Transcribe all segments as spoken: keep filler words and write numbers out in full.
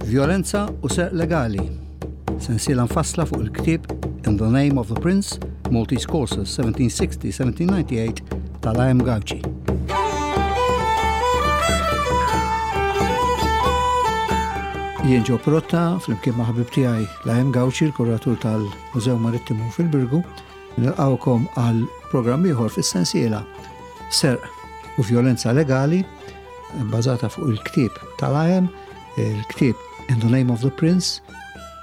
Vjolenza u Serq Legali. Sensiela mfassla fuq il-ktieb In the Name of the Prince, Maltese Courses seventeen sixty seventeen ninety-eight tal-I M. Gauci. Jien Joe Pirotta, flimkien ma' ħabib tiegħi l-I M Gauci, l-kuratur tal-Mużew Marittimu fil-Birgu, nilqawkom għal programm ieħor fis-sensiela Serq u Vjolenza Legali, bbażata fuq il-ktieb tal-I M, il-ktieb In the Name of the Prince,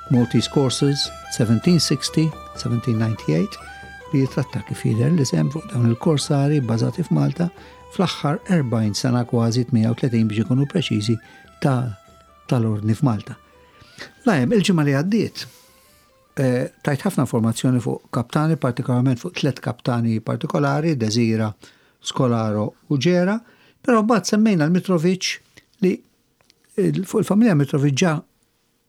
Maltese Courses seventeen sixty seventeen ninety-eight, li jitratta, kif jidher l-isem, fuq dawn il-korsari bbażati f'Malta fl-aħħar erbgħin sena, kważi tmienja u tletin biex ikunu preċiżi, ta' tal-ordni f'Malta. L-I M, il-ġimgħa li għaddiet, eh, tajt ħafna informazzjoni fuq kaptani, partikolarment fuq tlet kaptani partikolari, Desira, Scolaro u Ġera, però mbagħad semmejna l-Mitrovic, li il- fuq il-familja Mitrovic ġa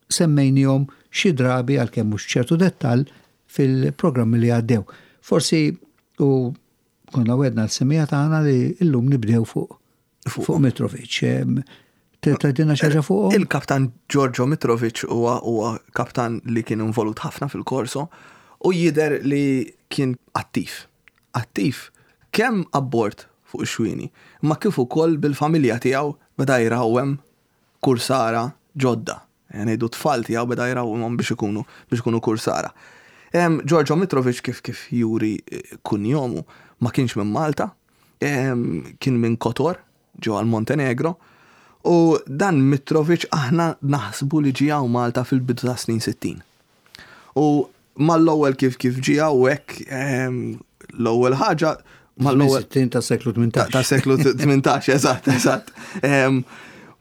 semmejnihom xi drabi, għalkemm mhux ċertu dettall, fil-programmi li għaddew. Forsi u konna wegħedna l-semmiegħa tagħna li illum nibdew fuq fuq Mitrovic. Em, Tgħidilna xi ħaġa fuq? Il-kaptan Giorgio Mitrovic huwa huwa kaptan li kien involut ħafna fil-korso u jider li kien attiv. Attiv kemm abbord fuq ix-xwieni, ma kif ukoll bil-familja tiegħu beda jrawwem kursara ġodda. Ngħidu tfal tiegħu beda jrawwemhom biex ikunu biex ikunu kursara. Em, Giorgio Mitrovic, kif kif juri eh, kunjomu, ma kienx minn Malta, em, kien minn Kotor, ġo għal Montenegro, u dan Mitrovic aħna naħsbu li ġie hawn Malta fil-bidu ta' snin sittin. U mal-ewwel kif kif ġie hawnhekk, em, l-ewwel ħaġa mal-ewwel sittin ta' seklu tmintax. Ta' seklu tmintax, eżatt, eżatt. Em,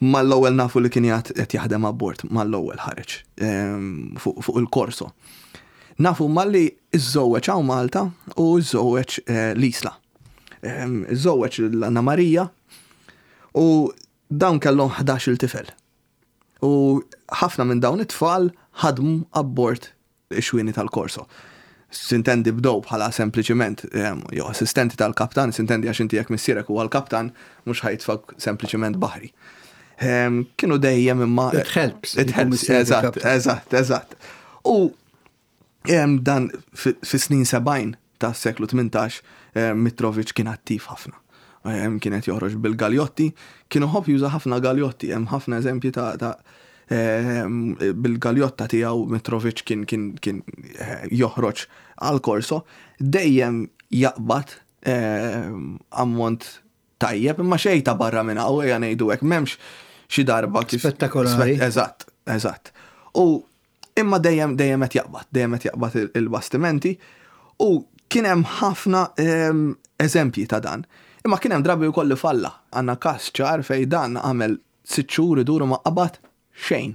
Mal-ewwel nafu li kien jgħat qed jaħdem abbord, mal-ewwel ħareġ em, fuq fuq il-korso. Nafu malli iżżewweġ hawn Malta u iżżewweġ eh, l-Isla. Em, Iżżewweġ l-Anna Marija u dawn kellhom ħdax-il tifel. U ħafna minn dawn it-tfal ħadmu abbord ix-xwieni tal-korso. Sintendi bdow bħala sempliċiment em, jew assistenti tal-kaptan, sintendi għax inti jekk missierek huwa l-kaptan, mhux ħa jitfgħek sempliċiment baħri. Em, Kienu dejjem imma. It helps. It helps, eżatt, eżatt, eżatt. U em, dan fi fi snin sebgħin ta' seklu tmintax, em, Mitrovic kien attiv ħafna. Em, Kienet joħroġ bil-galjotti, kienu iħobb juża ħafna galjotti, hemm ħafna eżempji ta' ta' em, bil-galjotta tiegħu Mitrovic kien kien kien eh, joħroġ għal korso, dejjem jaqbad em, ammont tajjeb, imma xejn ta' barra minn hawn, ejja ngħidu hekk, m'hemmx xi darba kif Spettakolari. Eżatt, eżatt. U imma dejjem dejjem qed jaqbad, dejjem qed jaqbad il- il-bastimenti u kien hemm ħafna em, eżempji ta' dan. Imma kien hemm drabi wkoll li falla. Għandna każ ċar fejn dan għamel sitt xhur iduru, ma qabad xejn.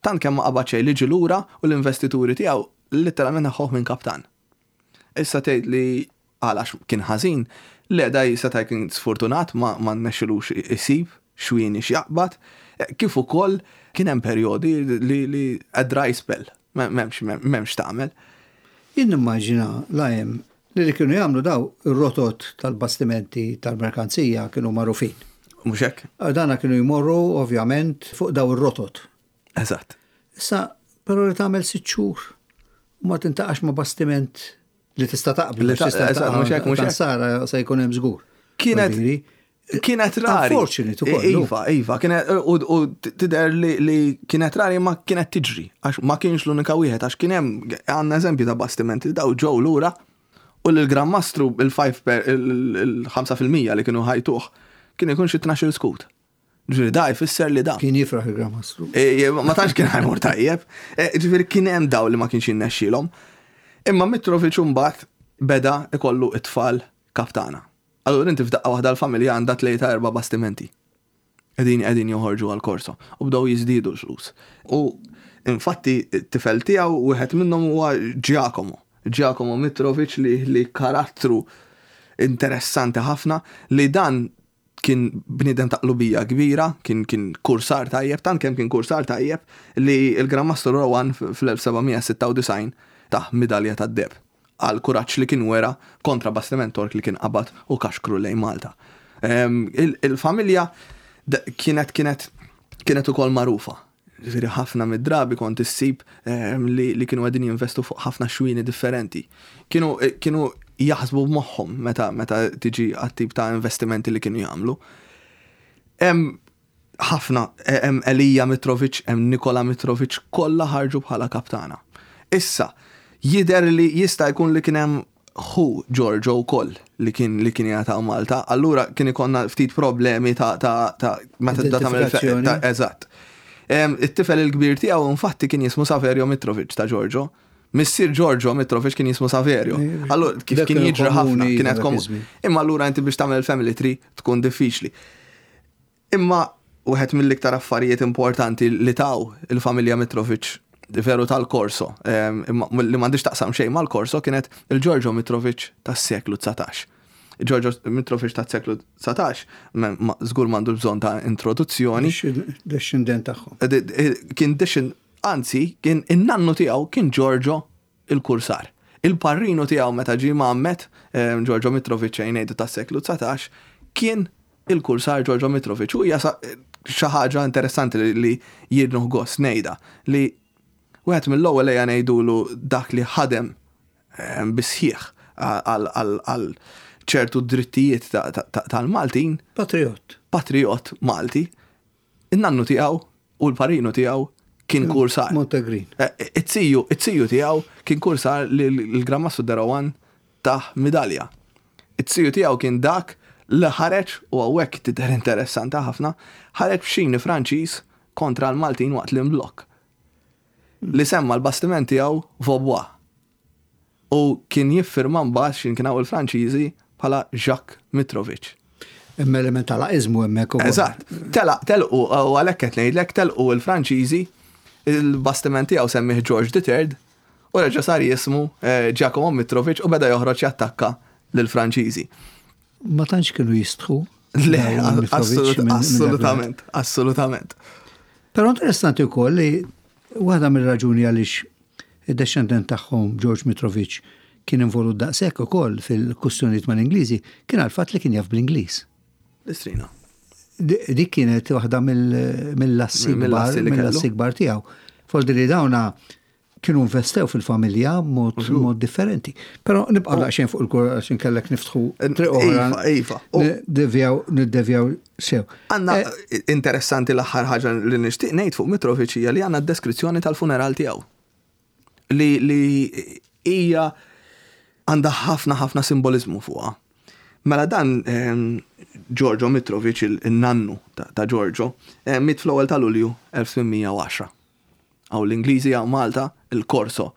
Tant kemm ma qabad xejn li ġie lura u l-investituri tiegħu letteralment neħħuh minn kaptan. Issa tgħid li għalax kien ħażin, le, da seta' kien sfortunat, ma ma rnexxilux isib xwieni x'jaqbad, kif ukoll kien hemm perjodi li li a dry spell, m'hemmx m'hemmx tagħmel. Jien nimmaġina, l-I M, li li kienu jagħmlu daw ir-rotot tal-bastimenti tal-merkanzija kienu magħrufin. Mhux hekk? Dana kienu jmorru ovvjament fuq daw ir-rotot. Eżatt. Issa, però li tagħmel sitt xhur u ma tintaqax ma' bastiment li tista' taqbel, Li ta' tista' eżatt, mhux hekk, mhux hekk. Sara se jkun hemm żgur. Kienet Voldiri, kienet rari. Unfortunate ukoll. Iva, iva, kienet u u tidher li, li kienet rari, ma kienet tiġri, għax ma kienx l-unika wieħed, għax kien hemm, għandna eżempju ta' bastimenti li daw ġew lura u l-Gran Mastru il-ħamsa per il-ħamsa fil-mija li kienu ħa jtuh kien ikun xi tnax-il skut. Ġifieri da jfisser li da. Kien jifraħ il-Gran Mastru. E, e, ma tantx kien ħa jmur tajjeb. E, Ġifieri kien hemm daw li ma kienx jinnexxielhom. Imma Mitrovic mbagħad beda ikollu it-tfal kaptana. Allura inti f'daqqa waħda l-familja għandha tlieta, erba' bastimenti. Qegħdin qegħdin joħorġu għal korso u bdew jiżdiedu l-flus. U infatti t-tifel tiegħu, wieħed minnhom huwa Giacomo. Giacomo Mitrovic li, li karattru interessanti ħafna, li dan kien bniedem ta' qlubija kbira, kien kien kursar tajjeb, tant kemm kien kursar tajjeb li il-Gran Mastru Rowan fl-elf seba' mija sitta u disgħin tah midalja tad-deheb għal kuraġġ li kien wera kontra bastiment Tork li kien qabad u kaxkru lejn Malta. Em, il- Il-familja d- kienet kienet kienet ukoll magħrufa. Ġifieri ħafna mid-drabi kont issib ehm, li, li kienu qegħdin jinvestu fuq ħafna xwini differenti. Kienu, eh, kienu jaħsbu b'moħħhom meta, meta tiġi għat-tip ta' investimenti li kienu jagħmlu. Hemm ħafna, hemm Elija Mitrovic, hemm Nikola Mitrovic, kollha ħarġu bħala kaptana. Issa, jidher li jista' jkun li kien hemm ħu Giorgio wkoll li kien li kien jagħta Malta, allura kien ikollna ftit problemi ta' ta' ta' meta tibda tagħmel Identifikazzjoni. ta' eżatt. Em, It-tifel il-kbir tiegħu infatti kien jismu Saverio Mitrovic ta' Giorgio. Missier Giorgio Mitrovic kien jismu Saverio. Allura kif Dak kien kienu jiġri ħafna, komuni kienet dak komu. iż-żmien. Imma allura inti biex tagħmel family tree tkun diffiċli. Imma wieħed mill-iktar affarijiet importanti li taw il-familja Mitrovic veru tal-Korso, em, imma li m'għandix taqsam xejn mal-Korso kienet il-Giorgio Mitrovic tas-seklu dsatax. Giorgio Mitrovic tas-seklu dsatax, ma- ma- żgur m'għandu bżonn ta' introduzzjoni, Descendent tagħhom. kien descend, anzi, kien in-nannu tiegħu kien Giorgio il-Kursar. Il-parrinu tiegħu meta ġie mgħammed, em, Giorgio Mitrovic ngħidu tas-seklu dsatax, kien il-Kursar Giorgio Mitrovic. U hija sa- xi ħaġa interessanti li, li jien nieħu gost ngħidha li wieħed mill-ewwel ejja ngħidulu dak li ħadem em, bisħieħ għal għal ċertu drittijiet ta- ta- ta- tal-Maltin Patriot. patriot Malti, in-nannu tiegħu u l-parrinu tiegħu kien kursar. Montegrin. Eh, It-tiju, it-tiju tiegħu kien kursar li l-Gran Mastru de Rohan tah midalja. It-tiju tiegħu kien dak li ħareġ u hawnhekk tidher interessanti ħafna, ħareġ b'xini Franċiż kontra l-Maltin waqt l-imblokk. Li semma l-bastiment tiegħu Vaubois. U kien jiffirma mbagħad x'in kien hawn il-Franċiżi bħala Jacques Mitrovic. Hemm element tal-laqizmu hemmhekk ukoll. Eżatt. Tela, telqu, u għalhekk qed ngħidlek telqu il-Franċiżi, il-bastiment tiegħu semmih George the Third, u reġa' sar jismu eh, Giacomo Mitrovic u beda joħroġ jattakka lill-Franċiżi. Ma tantx kienu jistħu. Le, dawn il-Mitrovic assolut- minn- minn dak assolutament, assolutament. Però interessanti wkoll li waħda mill-raġuni għaliex id-descendent tagħhom George Mitrovic kien involut daqshekk ukoll fil-kwistjonijiet mal-Ingliżi kien għal fatt li kien jaf bl-Ingliż. L-istrina. Di- Dik kienet waħda mill- mill-assi kbar Mill-assi li kellu. mill-assi kbar tiegħu. Forsi li dawna kienu investew fil-familja mod mod differenti. Però nibqa' daqsxejn fuq il-kur għax inkellek niftħu triq oħra. Iva, iva. U- Nidevjaw niddevjaw sew. Għanna Eh, interessanti l-aħħar ħaġa li nixtieq ngħid fuq Mitrovic hija li għandna deskrizzjoni tal-funeral tiegħu. Li li hija għandha ħafna ħafna simbolizmu fuqha. Mela dan ehm, Giorgio Mitrovic, il-nannu ta' ta' Giorgio, eh, miet fl-ewwel ta' Lulju elf tmien mija u għaxra. Għaw l-Ingliżi għaw Malta, il-Korso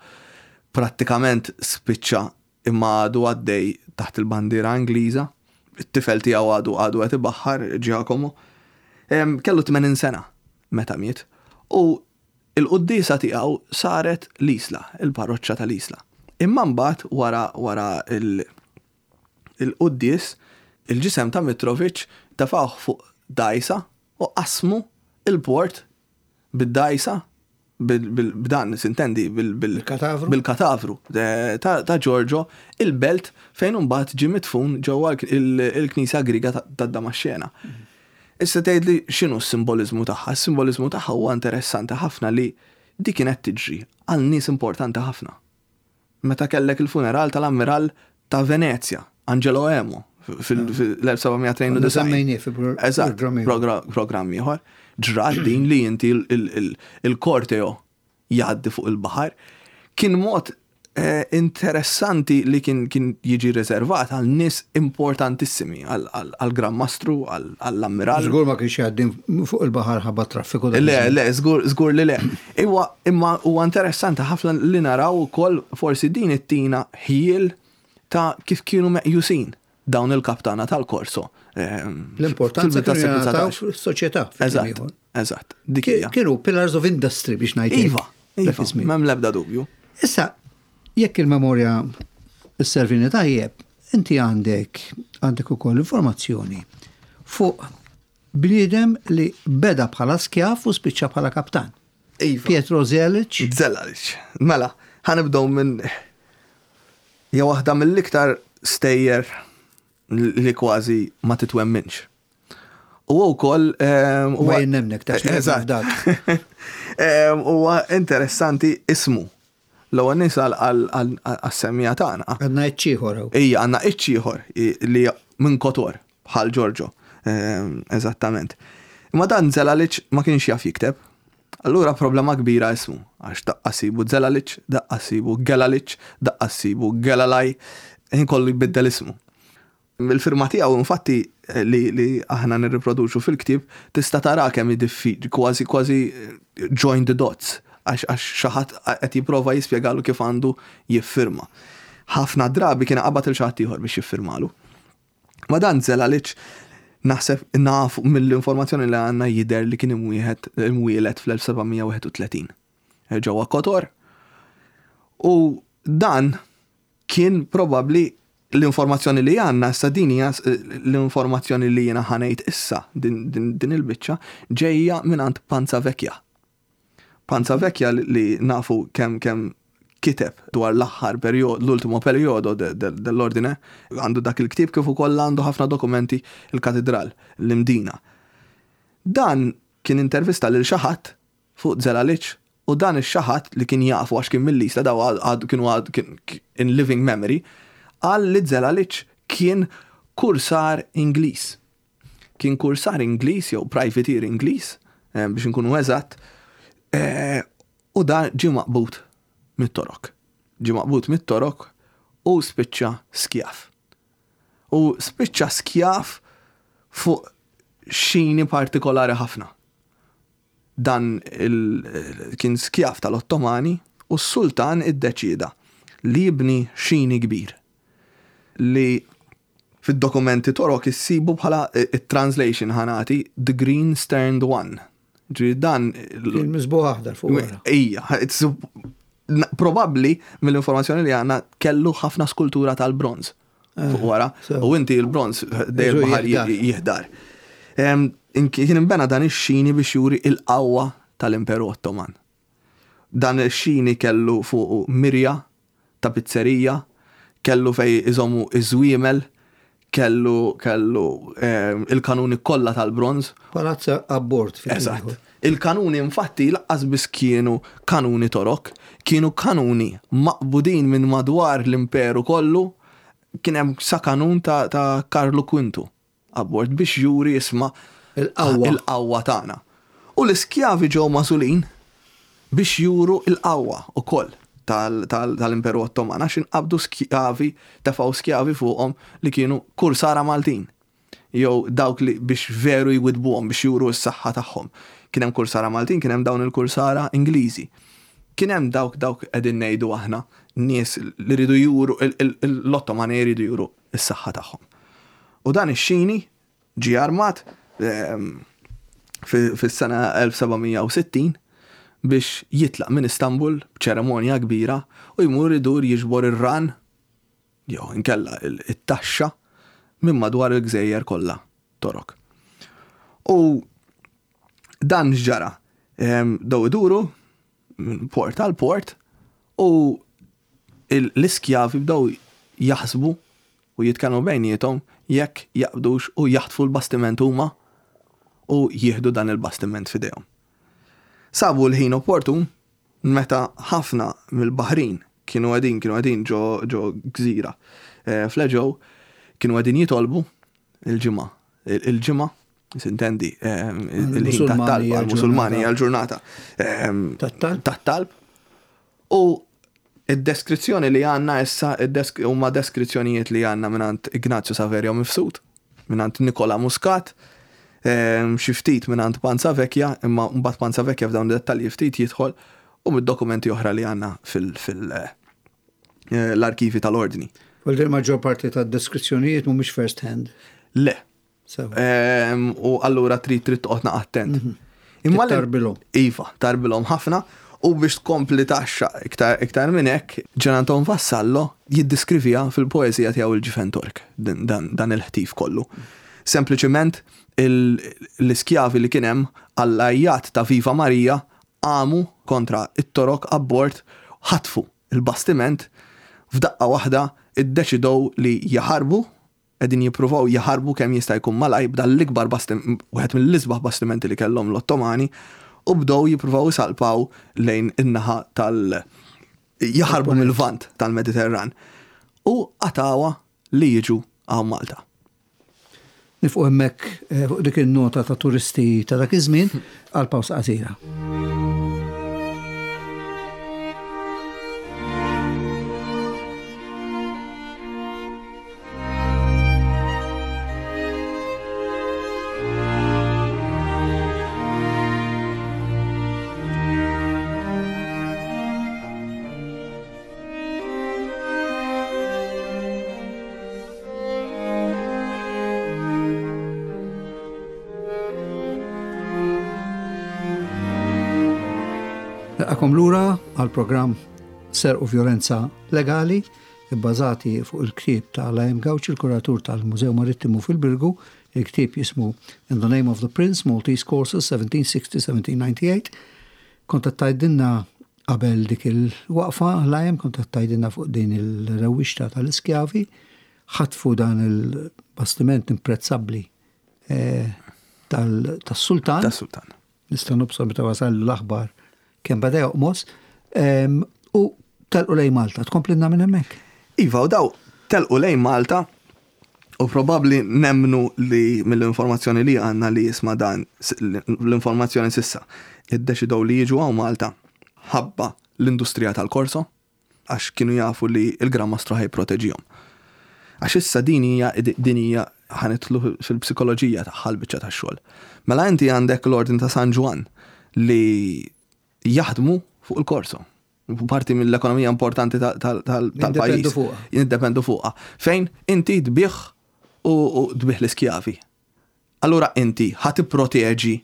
prattikament spiċċa imma għadu għaddej taħt il-bandiera Ingliża, it-tifel tiegħu għadu għadu qed ibaħħar Giacomo. Em, Kellu tmenin sena meta miet u il-quddisa tiegħu saret l-Isla, il-parroċċa tal-Isla. Imma mbagħad wara wara il- il-quddis, il-ġisem ta' Mitrovic tefgħuh fuq dajsa u qasmu il-port bid-dajsa bil- bil- b'dan sintendi bil- bil- Bil-katavru? bil-katavru eh, ta' ta' Giorgio il-belt fejn imbagħad ġie midfun ġewwa il- il-Knisja Griega ta' ta' Damaxxena. Issa tgħidli x'inhu s-simbolizmu tagħha? Is-simbolizmu tagħha huwa interessanti ħafna li di kienet tiġri għal nies importanti ħafna. Meta kellek il-funeral tal-ammiral ta' Venezia, Angelo Emo, fil-elf seba' mija tnejn u disgħin. Semmejnieh fi pro- Eżatt, programm ieħor. progra- programm ieħor. Ġrat din li inti il- il- il- il-korteo jgħaddi fuq il-baħar. Kien mod eh, interessanti li kien kien jiġi riservat għal nies importantissimi, għal- għal għal Gran Mastru, għal- għall-ammiral. Żgur ma kienx jgħaddi fuq il-baħar ħabba traffiku. dak Le, iż-żmien. le, żgur, żgur li le. Iwa, imma huwa interessanti ħafna li naraw ukoll forsi din it-tina ħjiel ta' kif kienu meqjusin dawn il-kaptana tal-Korso. Ehm, L-importanza fil-bidu kienu tas-seklu jingħataw dsatax. fis-soċjetà. fi kliem Eżatt, ieħor. eżatt. Dik hija. Kienu pillars of industry biex ngħid. hekk, Iva, dak iva, iż-żmien. m'hemm l-ebda dubju. Issa, jekk il-memorja s-servini tajjeb, inti għandek għandek ukoll informazzjoni fuq bniedem li beda bħala skjaf u spiċċa bħala kaptan. Iva. Pietro Zelic, Zellalic. Mela, ħa nibdew minn hija waħda mill-iktar stejjer li kważi ma titwemminx. U wkoll ehm, huwa jennemnek ta' Eżatt. Ehm, huwa interessanti ismu. L-ewwel nies għas-semmija tagħna. Għandna iċ-ieħor. Ija, għandna iċ-ieħor li minn Kotor bħal Giorgio. Ehm, eżattament. Imma dan Zelalic ma kienx jaf jikteb. Allura problema kbira ismu, għax daqqa sibu Zelalic, daqqa sibu Gelalic, daqqa sibu Gelalaj, ħin kollu jbiddel ismu. Il-firma tiegħu infatti li, li aħna nirriproduċu fil-ktieb tista' tara kemm diffiċli, kważi kważi eh, join the dots, għax għax xi ħadd qed jipprova jispjegalu kif għandu jiffirma. Ħafna drabi kien qabad il xi ħadd ieħor biex jiffirmalu. Ma dan Zelalic naħseb nafu mill-informazzjoni li għandna jidher li kien imwieħed imwieled fl-elf seba' mija wieħed u tletin ġewwa Kotor. U dan kien probabli l-informazzjoni li għandna issa, din hija l-informazzjoni li jiena ħa ngħid issa, din, din, din il-biċċa ġejja mingħand Panzavecchia. Panzavecchia li, li nafu kemm kemm kiteb dwar l-aħħar perjodu, l-ultimo perjodo dell'ordine, għandu dak il-ktieb kif ukoll għandu ħafna dokumenti il-katedral, l-Imdina. Dan kien intervista lil xi ħadd fuq Zelalic u dan ix-xi ħadd li kien jafu għax kien mill-Isla, daw għad kienu għad kien in living memory, qal li Zelalic kien kursar Ingliż. Kien kursar Ingliż jew privateer Ingliż, eh, biex nkunu eżatt, eh, u dan ġie maqbud mit-Torok. Ġie maqbud mit-Torok u spiċċa skjav. U spiċċa skjav fuq xini partikolari ħafna. Dan il, kien skjav tal-Ottomani u s-sultan iddeċida li jibni xini kbir li fid-dokumenti Torok issibu bħala it-translation ħa nagħti The Green Sterned One. Ġifieri dan Kien miżbugħ aħdar fuq wara. Ija, it's probabbli mill-informazzjoni li għandna kellu ħafna skultura tal-bronz fuq wara. So. U inti il-bronz dejjem Iġu baħar jiħdar. jiħdar. Em, in- Kien imbena dan ix-xini biex juri il-qawwa tal-Imperu Ottoman. Dan ix-xini kellu fuq mirja ta' pizzerija, kellu fej iżommu iż-żwiemel, kellu kellu em, il-kanuni kollha tal-bronz. Palazza abbord. Fi Eżatt. Il-kanuni infatti lanqas biss kienu kanuni Torok, kienu kanuni maqbudin minn madwar l-imperu kollu, kien hemm sa kanun ta', ta Karlu Quintu abbord biex juri, isma', Il-qawwa. il-qawwa tagħna. U l-iskjavi ġew magħżulin biex juru il-qawwa ukoll tal- tal- tal-Imperu Ottoman, għax inqabdu skjavi, tefgħu skjavi fuqhom li kienu kursara Maltin jew dawk li biex veru jwidbuhom biex juru s-saħħa tagħhom. Kien hemm kursara Maltin, kien hemm dawn il-kursara Ingliżi. Kien hemm dawk dawk qegħdin ngħidu aħna nies li rridu juru l-Ottomani jridu juru s-saħħa tagħhom. U dan ix-xini ġie armat ehm, fi- fis-sena elf seba' mija u sittin biex jitlaq minn Istanbul b'ċeremonja kbira u jmur idur jiġbor ir-ran jew inkella il- it-taxxa minn madwar il-gżejjer kollha Torok. U dan x'ġara? Em, Daw iduru minn port għal port u il- l-iskjavi bdew jaħsbu u jitkellmu bejniethom jekk jaqbdux u jaħtfu l-bastiment huma u jieħdu dan il-bastiment f'idejhom. Sabu l-ħin opportun meta ħafna mill-baħrin kienu qegħdin kienu qegħdin ġo ġo gżira eh, fl-Eġew, kienu qegħdin jitolbu il-ġimgħa. Il-ġimgħa, sintendi, eh, il-ħin Musulmani tat-talb għal-Musulmani għal-ġurnata. għal-ġurnata ehm, Tat-talb? tat-talb. U id-deskrizzjoni li għandna issa id-desk- huma deskrizzjonijiet li għandna mingħand Ignazio Saverio Mifsud, mingħand Nikola Muscat, ehm, xi ftit mingħand Panzavecchia, imma mbagħad Panzavecchia f'dawn id-dettalji ftit jidħol, u mid-dokumenti oħra li għandna fil- fil- eh, l-arkivi tal-ordni. Vuol dire maġġor parti ta' deskrizzjonijiet mhumiex first hand. Le. Sewa. Ehm, U allura trid trid toqgħod attent. Imma li- Tarbilhom. Iva, tarbilhom ħafna, u biex tkompli taxxa iktar, iktar minn hekk, Gian Anton Vassallo jiddiskrivija fil-poeżija tiegħu Il-Ġifen Tork, din- dan, dan il-ħtif kollu. Sempliċement il- l-iskjavi li kien hemm għall-għajjat ta' Viva Marija għamu kontra it-Torok abbord, ħatfu il-bastiment, f'daqqa waħda iddeċidow li jaħarbu. qegħdin jippruvaw jaħarbu kemm jista' jkun malajr b'dan l-ikbar bastiment, wieħed mill-isbaħ bastimenti li kellhom l-Ottomani, u bdew jippruvaw isalpaw lejn in-naħa tal- jaħarbu mill-Lvant tal-Mediterran. U qatgħuha li jiġu hawn Malta. Nieqfu hemmhekk eh, fuq dik il-nota ta' turisti ta' dak iż-żmien għal pawsa qasira. Nilqagħkom lura għal programm Serq u Vjolenza Legali, bbażati fuq il-ktieb ta' Laim Gauci, il-kuratur tal-Mużew Marittimu fil-Birgu. Il-ktieb jismu In the Name of the Prince, Maltese Corsairs seventeen sixty seventeen ninety-eight. Kont tgħidilna qabel dik il-waqfa, Laim, kont tgħidilna fuq din il-rewwixta tal-iskjavi, ħatfu dan il-bastiment imprezzabbli eh, tas-sultan. Tas-sultan. Nista' nobsor meta wasal l-aħbar kemm beda joqmos, em, u telqu lejn Malta. Tkomplinna minn hemmhekk. Iva, u daw telqu lejn Malta u probabli nemnu li mill-informazzjoni li għandna li jisma dan l-informazzjoni s'issa iddeċidew li jiġu hawn Malta ħabba l-industrija tal-korso, għax kienu jafu li il-Gran Mastru ħa jipproteġihom. Għax issa din hija din hija ħa nidħlu fil-psikoloġija tagħha l-biċċa tax-xogħol. Mela inti għandek l-Ordin ta' San Ġwann li jaħdmu fuq il-korso. Parti mill-ekonomija importanti tal-pajjiż. Jiddependu fuqha. Jiddependu fuqha. Fejn inti tbigħ u u tbigħ l-iskjavi. Allura inti ħa tipproteġi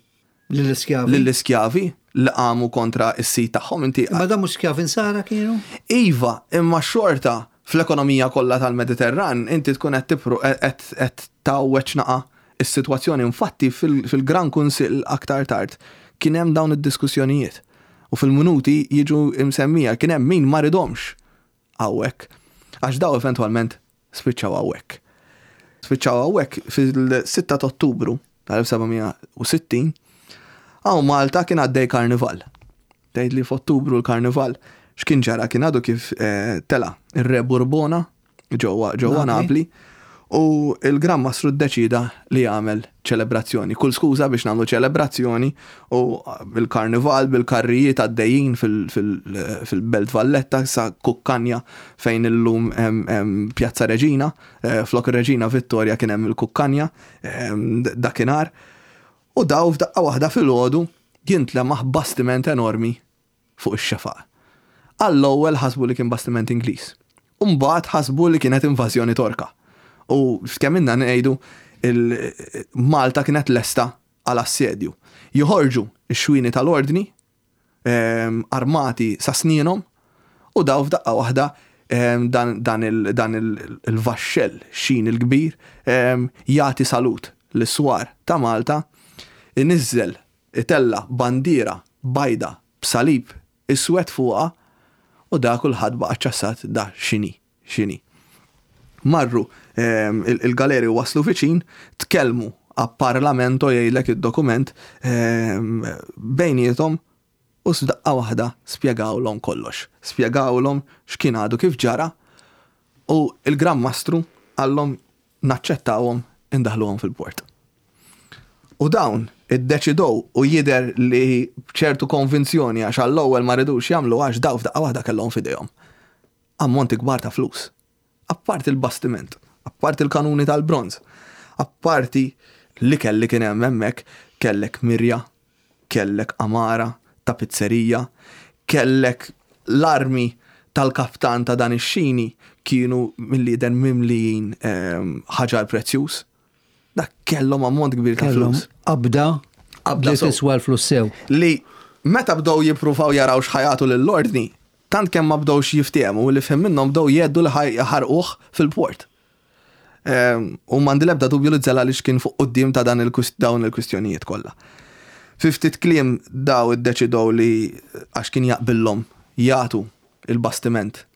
Lill-iskjavi. Lill-iskjavi li qamu kontra s-sid tagħhom inti. Ma dan mhux skjavi Nsara kienu? Iva, imma xorta fl-ekonomija kollha tal-Mediterran inti tkun qed tipru qed qed tgħawweġ naqa is-sitwazzjoni. Infatti fil-Gran Kunsill aktar tard kien hemm dawn id-diskussjonijiet. U fil-minuti jiġu imsemmija kien hemm min ma ridhomx hawnhekk. Għax daw eventwalment spiċċaw hawnhekk. Spiċċaw hawnhekk fil-sitta ta' Ottubru tal-elf seba' mija u sittin, hawn Malta kien għaddej karnival. Tgħid li f'Ottubru l-karnival x'kien ġara? Kien għadu kif eh, tela ir-Re Burbona ġewwa ġewwa Napli. Napli u il-Gran Mastru ddeċida li jagħmel ċelebrazzjoni. Kull skuża biex nagħmlu ċelebrazzjoni, u bil-karnival, bil-karrijiet għaddejjin fil-Belt Valletta sa Kukkanja, fejn illum hemm hemm Pjazza Reġina, eh, flok ir-Reġina Vittoria kien hemm il-Kukkanja em, dakinhar. U daw f'daqqa waħda fil-għodu jintlemaħ bastiment enormi fuq ix-xefaq. Għall-ewwel ħasbu li kien bastiment Ingliż. Umbagħad ħasbu li kienet invażjoni Torka. U f'kemm inna ngħidu Malta kienet lesta għal assedju. Joħorġu x-xwini tal-ordni em, armati sa snienhom, u daw f'daqqa waħda em, dan, dan il- dan il- il-vaxxell xin il-kbir em, jagħti salut lis-swar ta' Malta, inizzel itella bandiera bajda b'salib iswed fuqha, u da kulħadd baqa' ċassat, da x'inhi, x'inhi. Marru em, il- il-galeri waslu viċin, tkellmu a parlamento, jgħidlek id-dokument, em, bejniethom, u f'daqqa waħda spjegawlhom kollox. Spjegawlhom x'kien għadu kif ġara u il-Gran Mastru qallhom naċċettawhom, indaħluhom fil-port. U dawn iddeċidow, u jider li b'ċertu konvinzjoni, għax għall-ewwel ma ridux jagħmlu, għax daw f'daqqa waħda kellhom f'idejhom ammonti kbar ta' flus. Apparti il-bastiment, apparti il-kanuni tal-bronz, apparti li kelli kien hemm hemmhekk, kellek mirja, kellek amara, tapizzerija, kellek l-armi tal-kaptan ta' dan ix-xini kienu mill-lider mimlijin ehm, ħaġar prezzjuż. Dak kellhom ammont kbir ta' Kellhom flus. qabda Qabda li sew. tiswa l-flus sew. Li meta bdew jippruvaw jaraw x'ħa jagħtu lill-ordni, tant kemm ma bdewx jiftehmu li fhem minnhom bdew jgħeddu li ħarquh fil-port. Ehm, U m'għandi l-ebda dubju li żela li x'kien fuq quddiem ta' dan il-kwist- dawn il-kwistjonijiet kollha. Fi ftit kliem daw iddeċidew li għax kien jaqbillhom jagħtu il-bastiment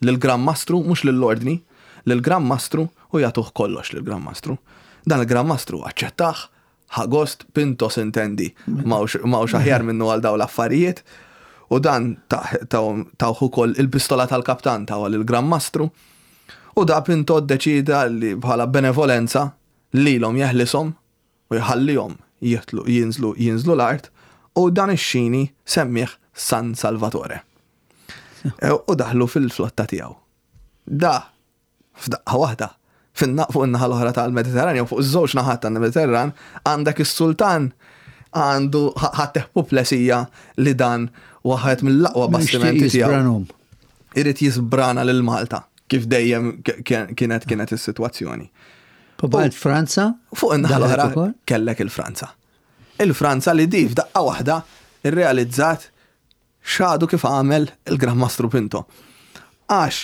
lill-Gran Mastru, mhux lill-ordni, lill-Gran Mastru, U jagħtuh kollox lill-Gran Mastru. Dan il-Gran Mastru aċċettah, ħa gost. Pinto s'intendi, m'hawnx aħjar minnu għal daw l-affarijiet. U dan tawh ukoll il-pistola tal-kaptan, taw il-Gran Mastru. U da Pinto ddeċida li bħala benevolenza lilhom jeħlishom u jħallihom jitlu jinżlu jinżlu l-art u dan ix-xini semmih San Salvatore. E, u daħlu fil-flotta tiegħu. Da, f'daqqa waħda, fin- fuq in-naħa l-oħra tal-Mediterran, jew fuq iż-żewġ naħat tal-Mediterran, għandek is-sultan għandu ħatteh puplesija li dan waħed mill-aqwa bastimenti tiegħu. Irid jisbrana lil Malta, kif dejjem kienet kienet is-sitwazzjoni. Pobalt Franza? Fuq in-naħa l-oħra kellek il-Franza. Il-Franza li di f'daqqa waħda irrealizzat x'għadu kif għamel il-Gran Mastru Pinto. Għax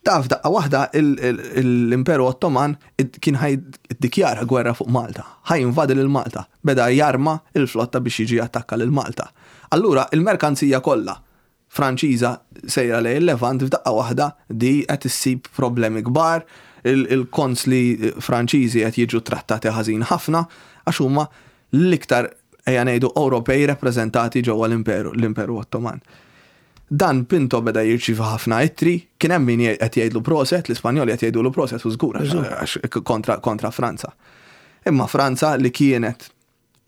da f'daqqa waħda l-Imperu Ottoman kien ħa jiddikjara gwerra fuq Malta, ħa jinvadi lil Malta, beda jarma il-flotta biex jiġi attakka lil Malta. Allura il-merkanzija kollha Franċiża sejra lejn il-Levant f'daqqa waħda di qed issib problemi kbar, il-konsli Franċiżi qed jiġu trattati ħażin ħafna għax huma l-iktar, ejja ngħidu, Ewropej rappreżentati ġewwa l-Imperu l-Imperu Ottoman. Dan Pinto beda jirċievi ħafna ittri, kien hemm min qed jgħidlu proset, l-Ispanjoli qed jgħidulu proset u żgur għax kontra, kontra Franza. Imma Franza, li kienet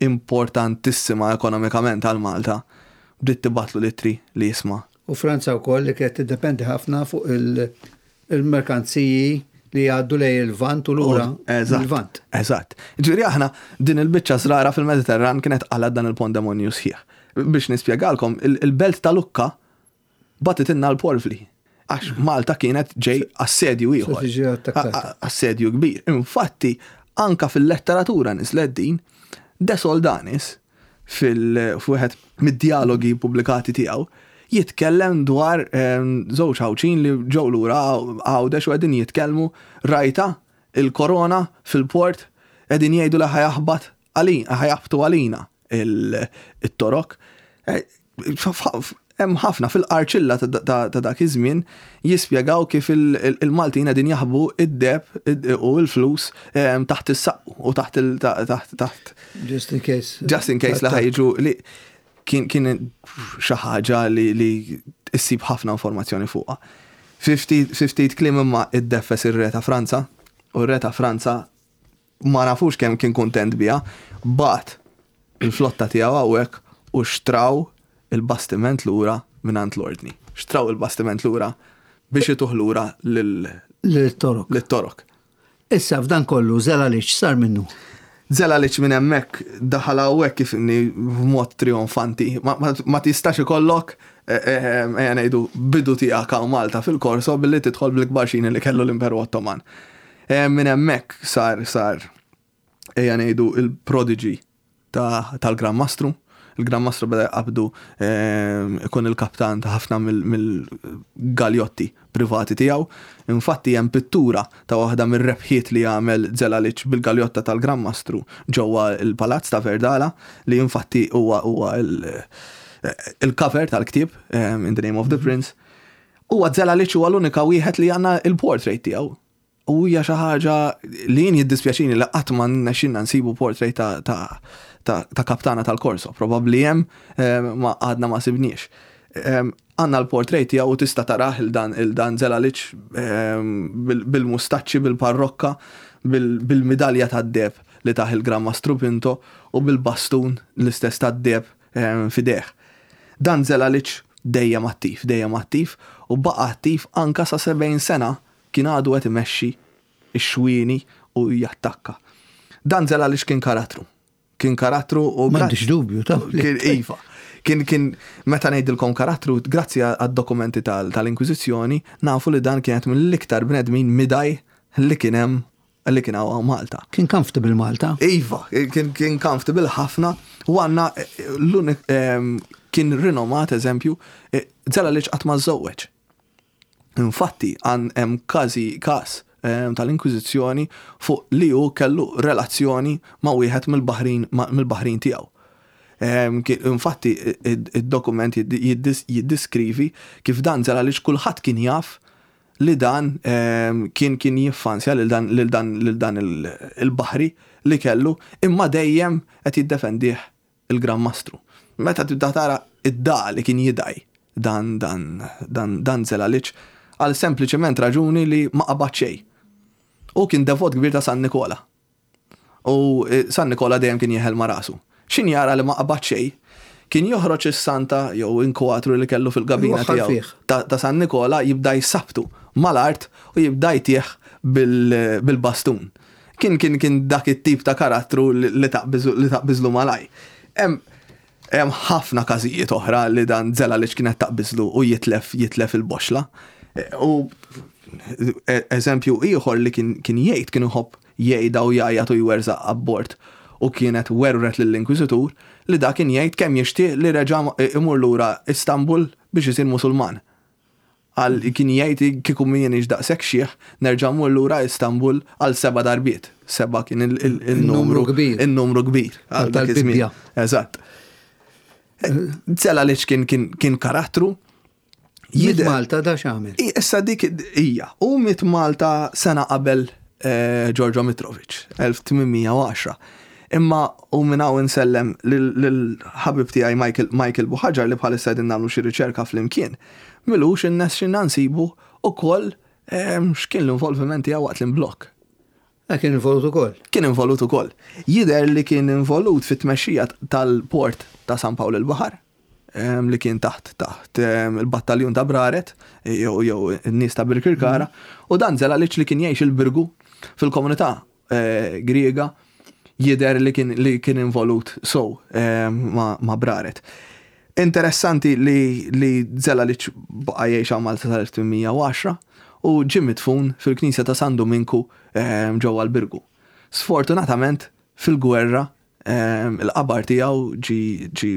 importantissima ekonomikament għal Malta, bdiet tibgħatlu l-ittri li jisma'. U Franza wkoll li kienet tiddependi ħafna fuq il-merkanziji li jgħaddu lejn il-Lvant u lura il-Lvant. Eżatt. Ġifieri aħna din il-biċċa żrara fil-Mediterran kienet qalgħet dan il-pandemonju sħiħ. Biex nispjegalkom, il-belt ta' Lukka bagħtitilna l-porvli. Għax Malta kienet ġej assedju ieħor. Assedju kbir. Infatti, anka fil-letteratura nislet din, De Soldanis, fil-wieħed mid-dialogi pubblikati tiegħu, jitkellem dwar żewġ Għawdxin li ġew lura Għawdex u qegħdin jitkellmu: "Rajta il-korona fil-port, qegħdin jgħidu li ħa jaħbat għalina, ħa jaħbtu għalina il-Torok." Eh, hemm ħafna fil-qarċilla ta' dak iż-żmien jispjegaw kif il-Maltin qegħdin jaħbu id-deheb u l-flus taħt is-saqqu u taħt il taħt Just in case. Just in case li ħa jiġu, li kien kien xi ħaġa li li issib ħafna informazzjoni fuqha. Fifty kliem, imma iddeffes ir-re ta' Franza u r-re ta' Franza ma nafux kemm kien kuntent biha, bagħat il-flotta tiegħu hawnhekk u xtraw il-bastiment lura mingħand l-ordni. Xtraw il-bastiment lura biex ituh lura lil-Torok. Lil-Torok. Issa f'dan kollu Zelalic sar minnu. Zelalic minn hemmhekk daħal hawnhekk kif inni b'mod trionfanti. Ma, ma, ma tistax ikollok, eh, eh, ejja ngħidu, bidu tiegħek hawn Malta fil-Korso billi tidħol bil-kbar xini li kellu l-Imperu Ottoman. Eh, Minn hemmhekk sar sar ejja ngħidu il-prodigy tal-Gran Mastru. Il-Gran Mastru beda jqabdu ikun il-kaptan ta' ħafna mill-galjotti privati tiegħu. Infatti hemm pittura ta' waħda mir-rebħiet li għamel Zelalic bil-galjotta tal-Gran Mastru ġewwa il-Palazz ta' Verdala, li infatti huwa huwa il-cover tal-ktieb In the Name of the Prince. Huwa Zelalic huwa l-unika wieħed li għandna il-portrait tiegħu. U hija xi ħaġa li jien jiddispjaċini li qatt ma rnexxilna nsibu portrait ta' ta' ta' ta' kaptana tal-Korso. Probabbli hemm, ma għadna ma sibniex. Għandna l-portrait tiegħu u tista' tarah il-dan il-dan Zelalic bil-mustaċċi, bil-parrokka, bil-midalja tad-deheb li tah il-Gran Mastru Pinto u bil-bastun l-istess tad-deheb f'idejh. Dan Zelalic dejjem attiv, dejjem attiv u baqa' attiv anka sa sebgħin sena, kien għadu qed imexxi ix-xwieni u jattakka. Dan Zelalic kien karattru. Kien karattru u M'għandix dubju ta' Kien, iva. Kien, kien, meta ngħidilkom karattru, grazzi għad-dokumenti tal-Inkwiżizzjoni, nafu li dan kienet mill-iktar bnedmin midaj li kien hemm, li kien hawn Malta. Kien comfortable Malta? Iva, kien, kien comfortable ħafna u għandna l-unik kien rinomat eżempju, Zelalic qatt ma żżewweġ. Infatti, għan hemm każi każ tal-Inkwiżizzjoni fuq li hu kellu relazzjoni ma' wieħed mill-baħrin mill-baħrin tiegħu. Infatti, id-dokument jiddiskrivi kif dan Zelalic kulħadd kien jaf li dan ehm, kien kien jiffansja lil dan lil dan lil dan il-baħri li kellu, imma dejjem qed jiddefendih il-Gran Mastru. Meta tibda tara id-da li kien jidaj dan dan dan dan Zelalic għal sempliċement raġuni li ma qabad xejn. U kien devot kbir ta' San Nikola. U eh, San Nikola dejjem kien jeħel ma' rasu. Xin jara li ma qabad xejn, kien joħroġ is-santa jew inkwatru li kellu fil-gabina tiegħu ta' San Nikola, jibda jsabtu mal-art u jibda jtieħ bil-bastun. Kien kien kien dak it-tip ta' karattru li taqbiżlu malaj. Hemm ħafna każijiet oħra li dan Zelalic kienet taqbiżlu u jitlef jitlef il-boxla. U eżempju ieħor li kien jgħid, kien iħobb jgħidha u jgħajjat u jwerżaq abbord, u kienet werret lill-Inkwiżitur li da kien jgħid kemm jixtieq li reġa' imur lura Istanbul biex isir Musulman. Għal kien jgħid, "Kieku m'iniex daqshekk xiħ, nerġa' mmur lura Istanbul għal seba' darbiet." Seba' kien il-numru kbir. Il-numru kbir. Għal dak iż-żmien. Eżatt. Zelalic kien kien karattru. Miet Malta da x'għamel? Issa dik hija. U miet Malta sena qabel eh, Giorgio Mitrovic, elf tmien mija u għaxra. Imma u minn hawn insellem lil-ħabib tiegħi Michael, Michael Buhagiar, li bħalissa qegħdin nagħmlu xi riċerka flimkien. M'ilux irnexxielna nsibu ukoll x'kien l-involviment tiegħu waqt l-imblokk. Kien involut ukoll. Kien involut ukoll. Jidher li kien involut fit-tmexxija tal-port ta' San Pawl il-Baħar, li kien taħt taħt il-battaljun ta' Braret jew jew n-nies ta' Birkirkara, u dan Zelalic li kien jgħix il-Birgu fil-komunità eh, Griega, jidher li kien li kien involut so ma', ma Braret. Interessanti li li Zelalic baqa' jgħix Malta sal-elf tmien mija u għaxra u ġie midfun fil-Knisja ta' San Dominku ġewwa l-Birgu. Sfortunatament fil-gwerra il-qabar tiegħu ġi ġi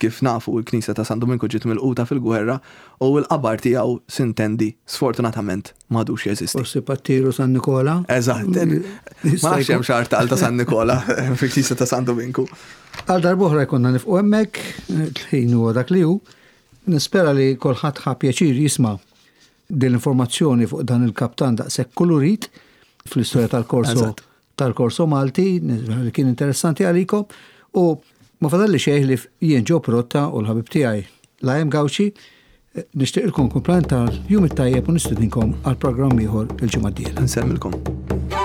kif nafu, il-Knisja ta' San Dominku ġiet milquta fil-gwerra u l-qabar tiegħu, s'intendi, sfortunatament m'għadux jeżisti. Forsi pattiru San Nikola? Eżatt. Ma nafx hemm xi ta' San Nikola fil-Knisja ta' San Dominku. Għal darb'oħra jkollna nieqfu hemmhekk, il-ħin huwa dak li hu. Nispera li kulħadd ħa pjaċir jisma' din l-informazzjoni fuq dan il-kaptan daqshekk kulurit fl-istorja tal-Korso tal-Korso Malti, li kien interessanti għalikom, u ma fadalli xejn li jien Joe Pirotta u l-ħabib tiegħi Lajem Gauci nixtieqilkom kumplament tal-jum it-tajjeb u nistedinkom għal programm ieħor il-ġimgħa d-dieħla. Nsellmilkom.